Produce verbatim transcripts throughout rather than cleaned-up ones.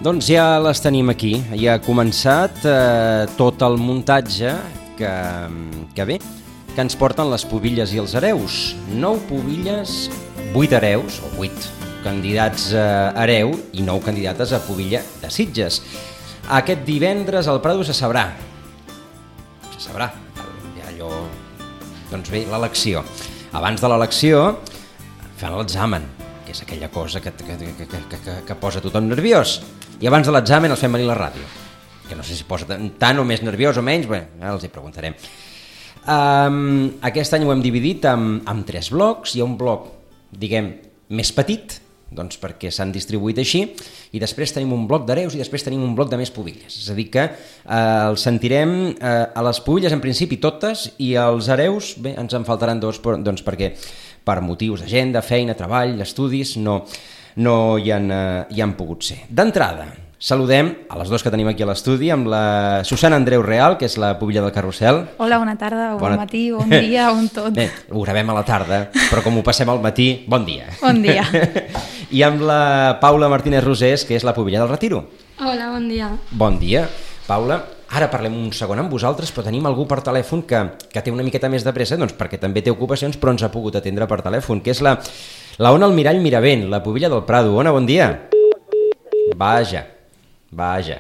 Doncs ja les tenim aquí. Ja ha començat eh, tot el muntatge que, que bé, que ens porten les pubilles i els hereus. Nou pubilles, vuit hereus, o vuit candidats a hereu i nou candidates a pubilla de Sitges. Aquest divendres al Prado se sabrà. Se sabrà. Ja allò... Doncs bé, l'elecció. Abans de l'elecció fan l'examen, que és aquella cosa que, que, que, que, que, que posa tothom nerviós. I abans de l'examen els fem venir a la ràdio, que no sé si posa tant o més nerviós o menys, bé, els hi preguntarem. Um, aquest any ho hem dividit en, en tres blocs. Hi ha un bloc, diguem, més petit, doncs perquè s'han distribuït així, i després tenim un bloc d'hereus i després tenim un bloc de més pubilles. És a dir que eh, els sentirem eh, a les pubilles en principi totes, i als hereus, bé, ens en faltaran dos, doncs perquè per motius d'agenda, feina, treball, estudis, no, no hi han, eh, hi han pogut ser. D'entrada, saludem a les dues que tenim aquí a l'estudi, amb la Susana Andreu Real, que és la pubilla del Carrusel. Hola, bona tarda, bon bona... matí, bon dia, bon tot. Bé, ho gravem a la tarda, però com ho passem al matí, bon dia. Bon dia. I amb la Paula Martínez Rosés, que és la pubilla del Retiro. Hola, bon dia. Bon dia. Paula, ara parlem un segon amb vosaltres, però tenim algú per telèfon que, que té una miqueta més de pressa, doncs perquè també té ocupacions, però ens ha pogut atendre per telèfon, que és la, la Ona Almirall Miravent, la pubilla del Prado. Ona, bon dia. Vaja. Vaja,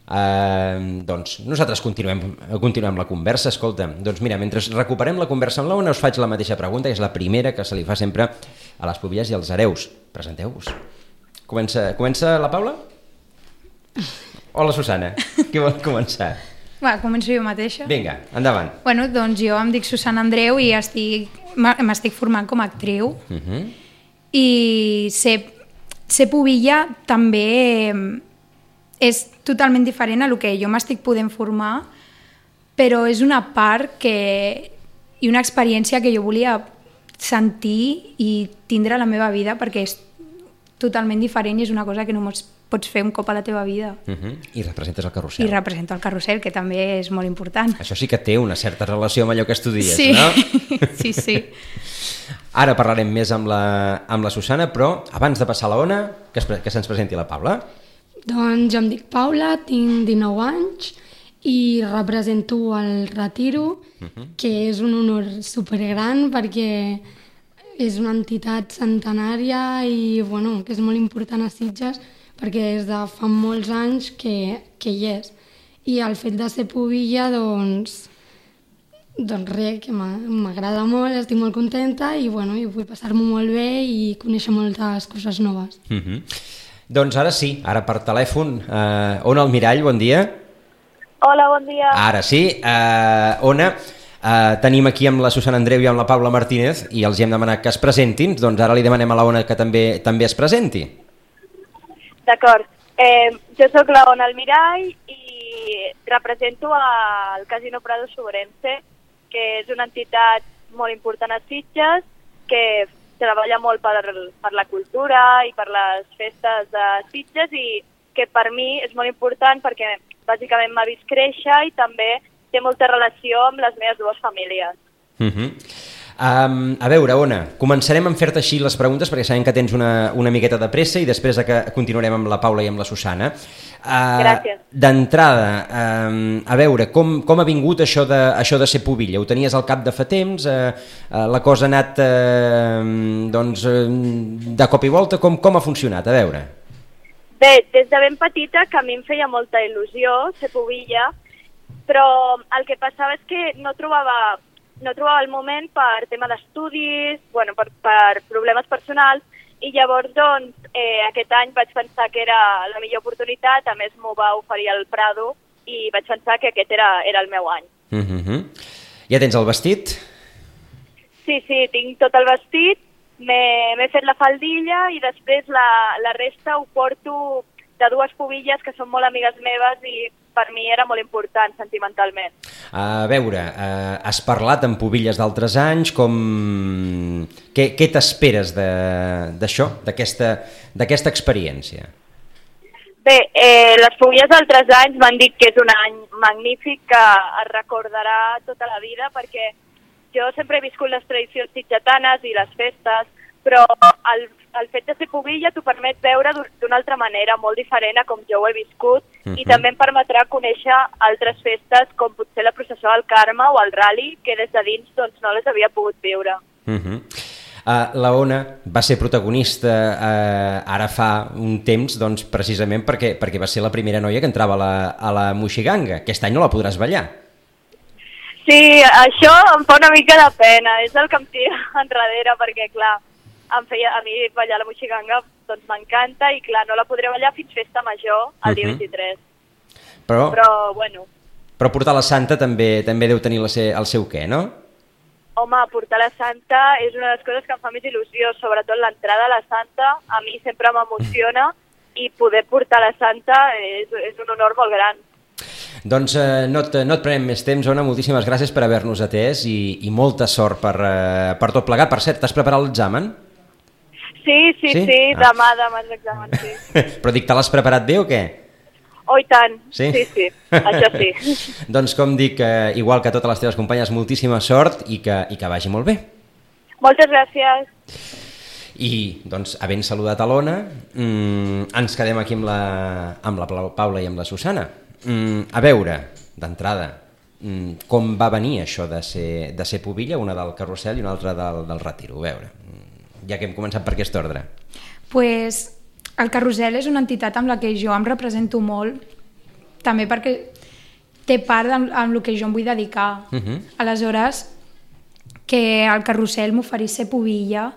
uh, doncs nosaltres continuem, continuem la conversa. Escolta, doncs mira, mentre recuperem la conversa amb l'Ona, us faig la mateixa pregunta, que és la primera que se li fa sempre a les pubilles i als hereus. Presenteu-vos. Comença, comença la Paula? O la Susana? Qui vol començar? Va, començo jo mateixa. Vinga, endavant. Bueno, doncs jo em dic Susana Andreu i estic, m'estic formant com a actriu. Uh-huh. I ser, ser pubilla també... és totalment diferent a el que jo m'estic podent formar, però és una part que, i una experiència que jo volia sentir i tindre a la meva vida, perquè és totalment diferent i és una cosa que només pots fer un cop a la teva vida. Uh-huh. I representes el Carrusel. I represento el Carrusel, que també és molt important. Això sí que té una certa relació amb allò que estudies, sí. No? Sí, sí. Ara parlarem més amb la, amb la Susana, però abans de passar a la Ona, que, es, que se'ns presenti la Paula. Doncs jo em dic Paula, tinc dinou anys i represento el Retiro, uh-huh. que és un honor supergran perquè és una entitat centenària i bueno, que és molt important a Sitges perquè des de fa molts anys que, que hi és. I el fet de ser pubilla, doncs, doncs res, que m'agrada molt, estic molt contenta i, bueno, i vull passar-m'ho molt bé i conèixer moltes coses noves. Uh-huh. Doncs ara sí, ara per telèfon. Uh, Ona Almirall, bon dia. Hola, bon dia. Ara sí. Uh, Ona, uh, tenim aquí amb la Susana Andreu i amb la Paula Martínez i els hi hem demanat que es presentin, doncs ara li demanem a la Ona que també també es presenti. D'acord. Eh, jo sóc la Ona Almirall i represento el Casino Prado Sobrense, que és una entitat molt important a Sitges, que treballa molt per, per la cultura i per les festes de Sitges i que per mi és molt important perquè bàsicament m'ha vist créixer i també té molta relació amb les meves dues famílies. Uh-huh. Um, a veure, Ona, començarem a fer-te així les preguntes perquè sabem que tens una, una miqueta de pressa i després de que continuarem amb la Paula i amb la Susana. Uh, Gràcies. D'entrada, um, a veure, com, com ha vingut això de, això de ser pubilla? Ho tenies al cap de fa temps? Uh, uh, la cosa ha anat uh, doncs, uh, de cop i volta? Com, com ha funcionat? A veure. Bé, des de ben petita que a mi em feia molta il·lusió ser pubilla, però el que passava és que no trobava... no trobava el moment per tema d'estudis, bueno, per, per problemes personals, i llavors doncs, eh, aquest any vaig pensar que era la millor oportunitat, a més m'ho va oferir el Prado, i vaig pensar que aquest era, era el meu any. Uh-huh. Ja tens el vestit? Sí, sí, tinc tot el vestit, m'he fet la faldilla i després la, la resta ho porto de dues pubilles que són molt amigues meves i per mi era molt important sentimentalment. A veure, eh, has parlat amb pubilles d'altres anys, com... què, què t'esperes d'això, d'aquesta experiència? Bé, eh, les pubilles d'altres anys m'han dit que és un any magnífic que es recordarà tota la vida perquè jo sempre he viscut les tradicions sitgetanes i les festes, però el, el fet de ser pubilla t'ho permet veure d'una altra manera, molt diferent a com jo ho he viscut, uh-huh. i també em permetrà conèixer altres festes com potser la processó del Carme o el Rally, que des de dins doncs, no les havia pogut viure. Uh-huh. uh, la Ona va ser protagonista uh, ara fa un temps doncs, precisament perquè, perquè va ser la primera noia que entrava a la, a la Moixiganga. Aquest any no la podràs ballar. Sí, això em fa una mica de pena, és el que em tira enrere, perquè clar, em feia, a mi ballar la Moixiganga doncs m'encanta i clar, no la podré ballar fins festa major el dia uh-huh. vint-i-tres. Però, però, bueno... Però portar la Santa també també deu tenir la se, el seu què, no? Home, portar la Santa és una de les coses que em fa més il·lusió, sobretot l'entrada a la Santa, a mi sempre m'emociona i poder portar la Santa és, és un honor molt gran. Doncs eh, no, et, no et prenem més temps, Ona, moltíssimes gràcies per haver-nos atès i, i molta sort per, eh, per tot plegat. Per cert, t'has preparat l'examen? Sí, sí, sí, sí ah. demà, demà és l'examen, sí. Però dic, te l'has preparat bé o què? Oh, i tant, sí, sí, sí, això sí. Doncs com dic, eh, igual que totes les teves companyes, moltíssima sort i que, i que vagi molt bé. Moltes gràcies. I, doncs, havent saludat a l'Ona, mmm, ens quedem aquí amb la, amb la Paula i amb la Susana. Mm, a veure, d'entrada, mm, com va venir això de ser, de ser pubilla, una del carrusel i una altra del, del retiro? A veure, ja que hem començat per aquest ordre. Pues, el carrusel és una entitat amb la que jo em represento molt, també perquè té part amb, amb el que jo em vull dedicar. Uh-huh. Aleshores, que el carrusel m'oferís ser pubilla,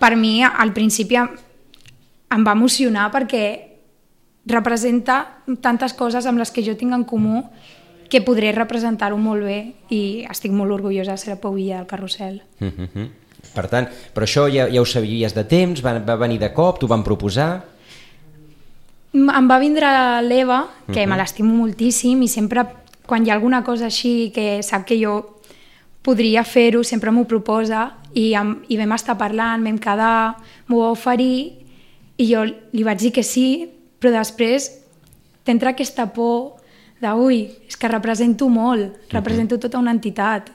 per mi al principi em va emocionar perquè representa tantes coses amb les que jo tinc en comú que podré representar-ho molt bé i estic molt orgullosa de ser la pubilla del carrusel. Uh-huh. Per tant, però això ja, ja ho sabies de temps? Va, va venir de cop? T'ho van proposar? Em va vindre l'Eva, que uh-huh. me l'estimo moltíssim i sempre quan hi ha alguna cosa així que sap que jo podria fer-ho, sempre m'ho proposa i, em, i vam estar parlant, vam quedar, m'ho va oferir i jo li vaig dir que sí, però després t'entra aquesta por de, ui, és que represento molt, represento tota una entitat.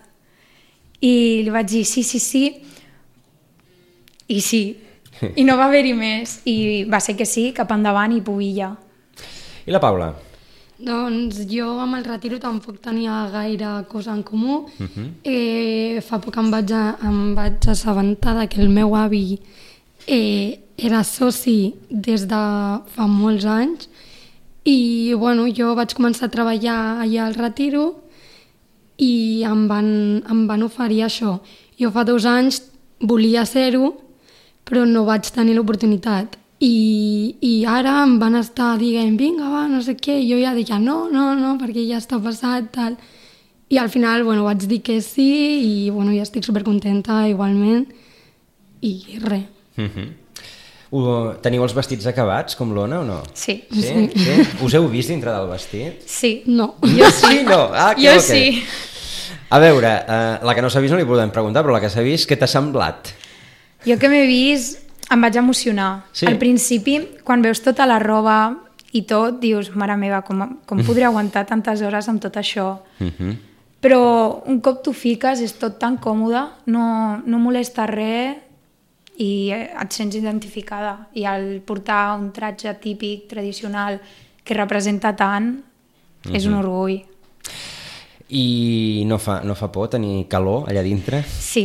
I li vaig dir sí, sí, sí, i sí, i no va haver-hi més, i va ser que sí, cap endavant i pubilla. I la Paula? Doncs jo amb el retiro tampoc tenia gaire cosa en comú. Uh-huh. eh, fa poc em vaig, a, em vaig assabentar que el meu avi eh, era soci des de fa molts anys i bueno, jo vaig començar a treballar allà al retiro i em van, em van oferir això. Jo fa dos anys volia ser-ho, però no vaig tenir l'oportunitat. I, i ara em van estar dient, vinga, va, no sé què, i jo ja dic, no, no, no, perquè ja està passat, tal. I al final, bueno, vaig dir que sí, i bueno, ja estic supercontenta igualment, i res. Uh-huh. Uh, teniu els vestits acabats, com l'Ona, o no? Sí. Sí? Sí. Sí? Us heu vist dintre del vestit? Sí. No. Jo sí. No? Ah, que jo okay. sí. A veure, uh, la que no s'ha vist no li podem preguntar, però la que s'ha vist, què t'ha semblat? Jo que m'he vist em vaig emocionar. Sí. Al principi, quan veus tota la roba i tot, dius, mare meva, com, com podré aguantar tantes hores amb tot això? Uh-huh. Però un cop t'ho fiques és tot tan còmode, no, no molesta res i et sents identificada. I al portar un tratge típic, tradicional, que representa tant, uh-huh. és un orgull. I no fa, no fa por tenir calor allà dintre? Sí.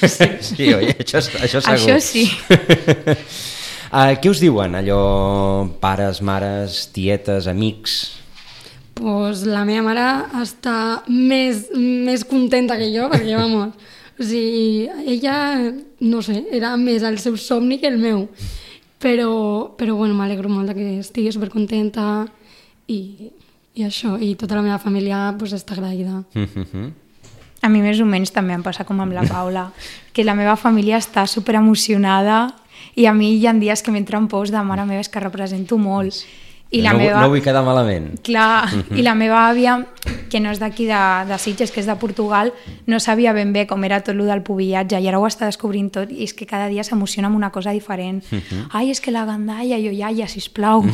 Sí, sí oi? Això, això segur. Això sí. uh, què us diuen, allò, pares, mares, tietes, amics? Pues la meva mare està més, més contenta que jo, perquè, vamos, o sigui, ella, no sé, era més el seu somni que el meu. Però, però bueno, m'alegro molt que estigui supercontenta i... i això, i tota la meva família pues, està agraïda. Mm-hmm. A mi més o menys també em passa com amb la Paula, que la meva família està superemocionada i a mi hi ha dies que m'entren pors de mare meva, és que represento molt. I la no, meva... no vull quedar malament. Clar, mm-hmm. i la meva àvia, que no és d'aquí de, de Sitges, que és de Portugal, no sabia ben bé com era tot el del pubillatge i ara ho està descobrint tot i és que cada dia s'emociona amb una cosa diferent. Mm-hmm. Ai, és que la gandalla, jo, iaia, sisplau.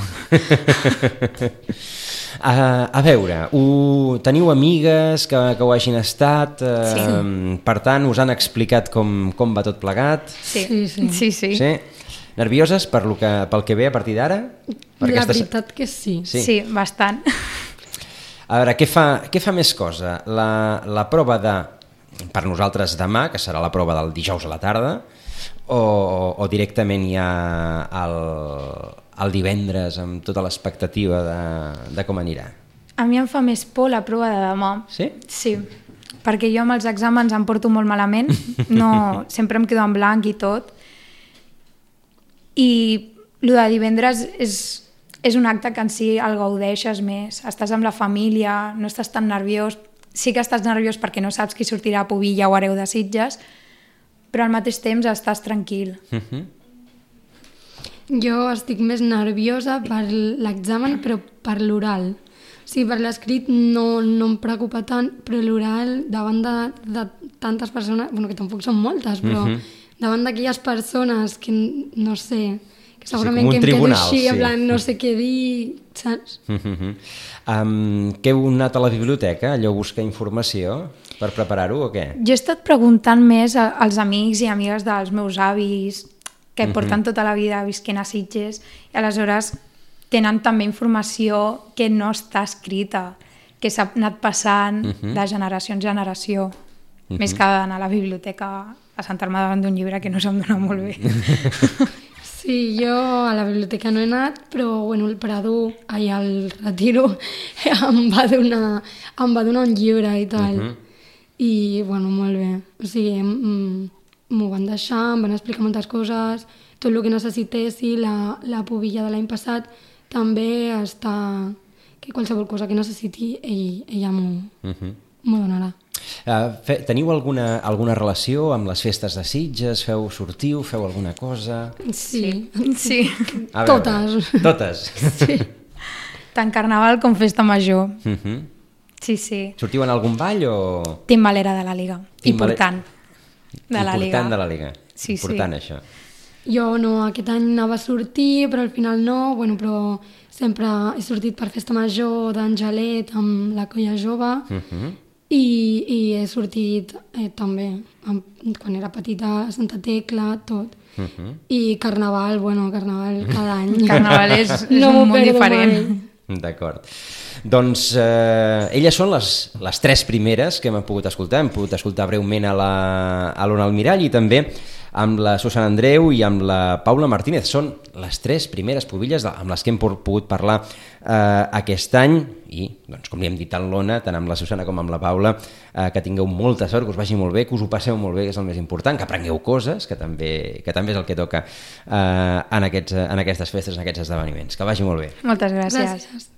A, a veure, ho, teniu amigues que, que ho hagin estat, eh, Sí. per tant, us han explicat com, com va tot plegat? Sí, Sí, sí. sí. sí. Sí? Nervioses per lo que, pel que ve a partir d'ara? Per La aquestes- veritat que sí. Sí. Sí, bastant. A veure, què fa, què fa més cosa? La, la prova de, per nosaltres demà, que serà la prova del dijous a la tarda, o, o directament ja el, el divendres amb tota l'expectativa de, de com anirà? A mi em fa més por la prova de demà. Sí? Sí, perquè jo amb els exàmens em porto molt malament, no, sempre em quedo en blanc i tot. I el de divendres és, és un acte que en si el gaudeixes més. Estàs amb la família, no estàs tan nerviós. Sí que estàs nerviós perquè no saps qui sortirà a Pubilla o Hereu de Sitges, però al mateix temps estàs tranquil. Uh-huh. Jo estic més nerviosa per l'examen, però per l'oral. O sigui, per l'escrit no, no em preocupa tant, però l'oral, davant de, de tantes persones, bueno, que tampoc són moltes, però uh -huh. davant d'aquelles persones que, no sé, que segurament com un que em tribunal, quedo així, sí. en plan, no sé què dir, saps? Uh-huh. Um, que heu anat a la biblioteca, allò a buscar informació per preparar-ho o què? Jo he estat preguntant més a- als amics i amigues dels meus avis, que porten tota la vida visquent a Sitges, i aleshores tenen també informació que no està escrita, que s'ha anat passant de generació en generació, més que anar a la biblioteca a sentar-me davant d'un llibre que no se'm dona molt bé. Sí, jo a la biblioteca no he anat, però bueno, el Prado, allà al Retiro, em va donar, em va donar un llibre i tal. Mhm. I, bueno, molt bé. O sigui, mm, m'ho van deixar, em van explicar moltes coses, tot el que necessitessi, la, la pubilla de l'any passat també està... que qualsevol cosa que necessiti, ell, ella m'ho Uh-huh. m'ho donarà. Uh, fe, teniu alguna, alguna relació amb les festes de Sitges? Feu, sortiu, feu alguna cosa? Sí, Sí, A veure, Totes. Totes. sí. tant carnaval com festa major. Uh-huh. Sí, sí. Sortiu en algun ball o...? Timbalera de la Liga. Timbale- Important. De la Liga. Important de la Liga. Sí, sí. Important, això. Jo no, aquest any anava a sortir, però al final no, bueno, però sempre he sortit per festa major d'Angelet amb la colla jove Uh-huh. i, i he sortit eh, també amb, quan era petita a Santa Tecla, tot. Uh-huh. I carnaval, bueno, carnaval cada any. Carnaval és, és No un m'ho món perdo diferent. mai. D'acord. Doncs eh, elles són les, les tres primeres que hem pogut escoltar. Hem pogut escoltar breument a la- a l'Ona Almirall i també amb la Susana Andreu i amb la Paula Martínez. Són les tres primeres pubilles de- amb les que hem por- pogut parlar eh, aquest any i, doncs, com li hem dit a l'Ona, tant amb la Susana com amb la Paula, eh, que tingueu molta sort, que us vagi molt bé, que us ho passeu molt bé, que és el més important, que aprengueu coses, que també, que també és el que toca eh, en, aquests, en aquestes festes, en aquests esdeveniments. Que vagi molt bé. Moltes gràcies. Gràcies.